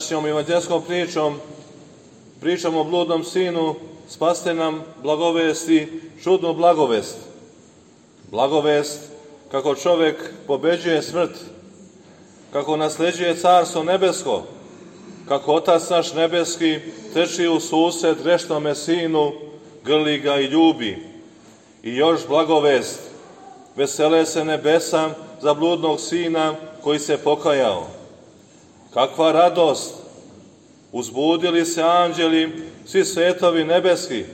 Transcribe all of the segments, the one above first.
Današnjom evanđelskom pričom o bludnom sinu, spaste nam blagovesti, čudnu blagovest. Blagovest kako čovjek pobeđuje smrt, kako nasleđuje carstvo nebesko, kako Otac naš nebeski trči u susret grešnome sinu, grli ga i ljubi. I još blagovest, vesele se nebesa za bludnog sina koji se pokajao. Kakva radost! Uzbudili se anđeli, svi svetovi nebeski.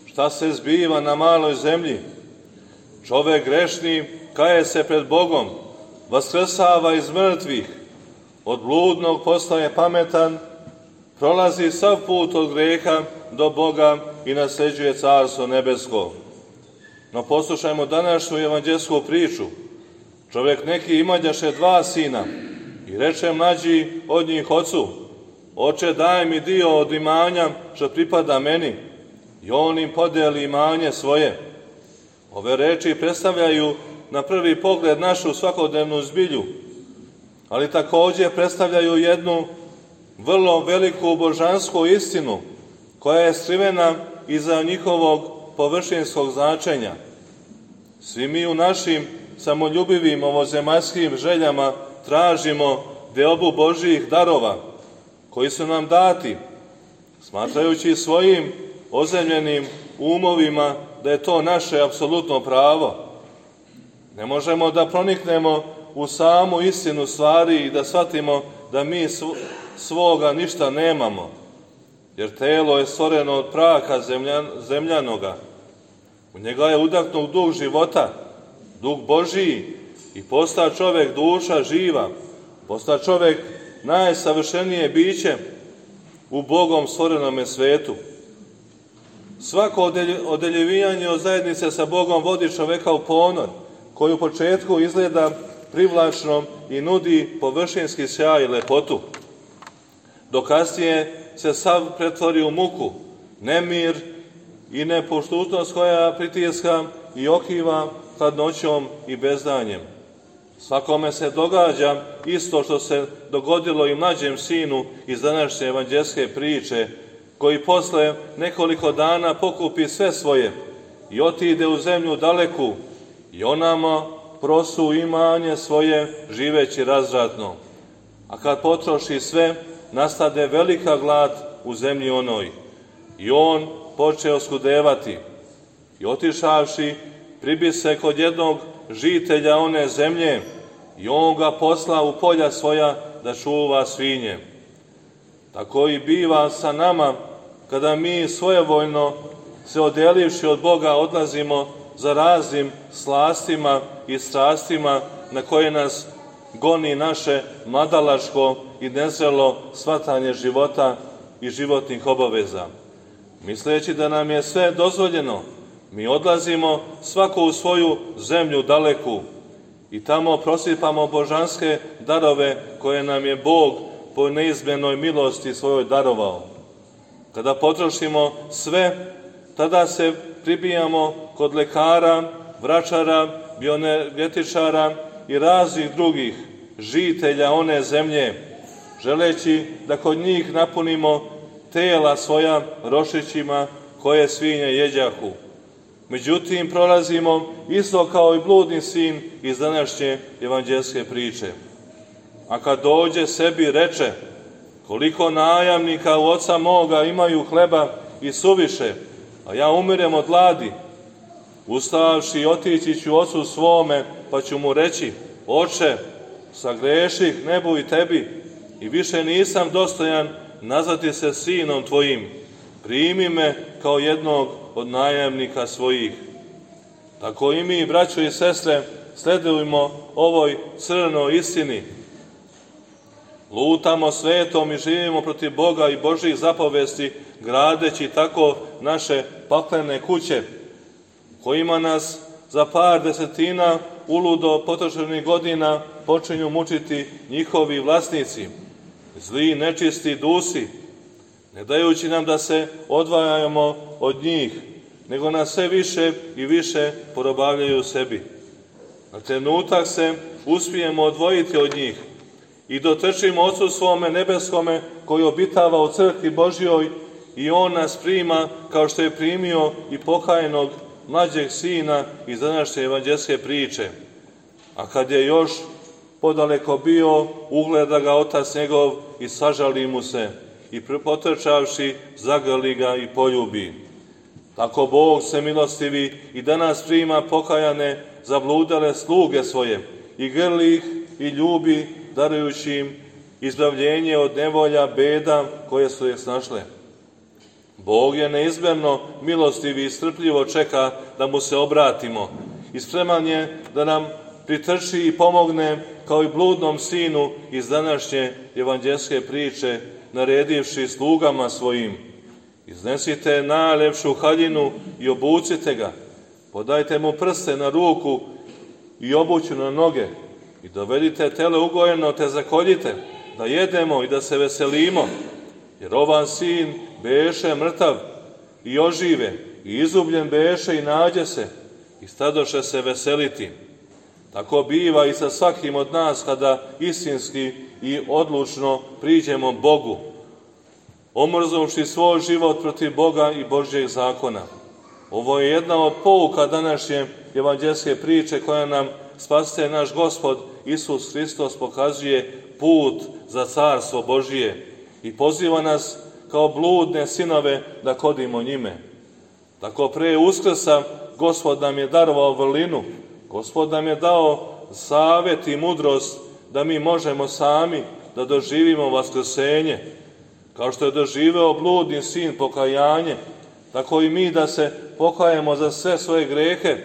Šta se zbiva na maloj zemlji? Čovek grešni kaje se pred Bogom, vaskrsava iz mrtvih, od bludnog postaje pametan, prolazi sav put od greha do Boga i nasleđuje carstvo nebesko. No poslušajmo današnju evanđelsku priču. Čovjek neki imađaše 2 sina i reče mlađi od njih ocu: Oče, daj mi dio od imanja što pripada meni. I on im podeli imanje svoje. Ove reči predstavljaju na prvi pogled našu svakodnevnu zbilju, ali također predstavljaju jednu vrlo veliku božansku istinu koja je skrivena iza njihovog površinskog značenja. Svi mi u našim samoljubivim ovozemaljskim željama tražimo deobu Božjih darova koji su nam dati, smatrajući svojim ozemljenim umovima da je to naše apsolutno pravo. Ne možemo da proniknemo u samu istinu stvari i da shvatimo da mi svoga ništa nemamo, jer telo je stvoreno od praka zemljanoga. U njega je udahnut duh života, duh Božiji, i posta čovjek duša živa, posta čovjek najsavršenije biće u Bogom stvorenome svetu. Svako odeljevijanje od zajednice sa Bogom vodi čovjeka u ponor, koji u početku izgleda privlačno i nudi površinski sjaj i lepotu. Dok kasnije se sav pretvori u muku, nemir i nepoštutnost koja pritiska i okiva hladnoćom i bezdanjem. Svakome se događa isto što se dogodilo i mlađem sinu iz današnje evanđelske priče, koji posle nekoliko dana pokupi sve svoje i otide u zemlju daleku i onamo prosu imanje svoje živeći razvratno. A kad potroši sve, nastade velika glad u zemlji onoj. I on poče oskudevati. I otišavši, pribi se kod jednog žitelja one zemlje i on ga posla u polja svoja da čuva svinje. Tako i biva sa nama kada mi svojevoljno se odelivši od Boga odlazimo za raznim slastima i strastima na koje nas goni naše mladalačko i nezrelo shvatanje života i životnih obaveza. Misleći da nam je sve dozvoljeno, mi odlazimo svako u svoju zemlju daleku i tamo prosipamo božanske darove koje nam je Bog po neizmjernoj milosti svojoj darovao. Kada potrošimo sve, tada se pribijamo kod lekara, vračara, bioenergetičara i raznih drugih žitelja one zemlje, želeći da kod njih napunimo tela svoja rošićima koje svinje jeđahu. Međutim, prolazimo isto kao i bludni sin iz današnje evanđelske priče. A kad dođe sebi reče: koliko najamnika u oca moga imaju hleba i suviše, a ja umirem od gladi. Ustavši, otići ću ocu svome, pa ću mu reći: Oče, sagreših nebu i tebi, i više nisam dostojan nazvati se sinom tvojim. Primi me kao jednog od najamnika svojih. Tako i mi, braćo i sestre, sledujemo ovoj crnoj istini. Lutamo svetom i živimo protiv Boga i Božjih zapovesti, gradeći tako naše paklene kuće, kojima nas za par desetina uludo potrošenih godina počinju mučiti njihovi vlasnici, zli nečisti dusi, ne dajući nam da se odvajamo od njih, nego nas sve više i više porobavljaju sebi. Na trenutak se uspijemo odvojiti od njih i dotrčimo Otcu svome nebeskome koji obitava u crkvi Božjoj i On nas prima kao što je primio i pokajenog mlađeg sina iz današnje evanđelske priče. A kad je još podaleko bio, ugleda ga otac njegov i sažali mu se i potrčavši zagrli ga i poljubi. Tako Bog se milostivi i danas prima pokajane, zabludele sluge svoje i grli ih i ljubi, darujući im izbavljenje od nevolja, beda koje su ih snašle. Bog je neizmjerno milostivi i strpljivo čeka da mu se obratimo i spreman je da nam pritrči i pomogne kao i bludnom sinu iz današnje evanđelske priče, naredivši slugama svojim: iznesite najlepšu haljinu i obucite ga, podajte mu prste na ruku i obuću na noge i dovedite tele ugojeno te zakoljite, da jedemo i da se veselimo, jer ovan sin beše mrtav i ožive i izubljen beše i nađe se i stadoše se veseliti. Tako biva i sa svakim od nas kada istinski i odlučno priđemo Bogu, omrznuvši svoj život protiv Boga i Božjeg zakona. Ovo je jedna od pouka današnje evanđelske priče koja nam Spasitelj naš Gospod Isus Hristos pokazuje put za carstvo Božije i poziva nas kao bludne sinove da hodimo njime. Tako pre Uskrsa Gospod nam je darovao vrlinu, Gospod nam je dao savet i mudrost da mi možemo sami da doživimo vaskrsenje. Kao što je doživeo bludni sin pokajanje, tako i mi da se pokajemo za sve svoje grehe,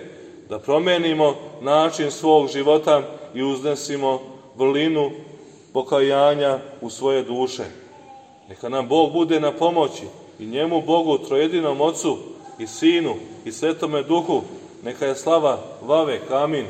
da promenimo način svog života i uznesimo vrlinu pokajanja u svoje duše. Neka nam Bog bude na pomoći i njemu Bogu, trojedinom Otcu i Sinu i Svetome Duhu, neka je slava vavek. Amin.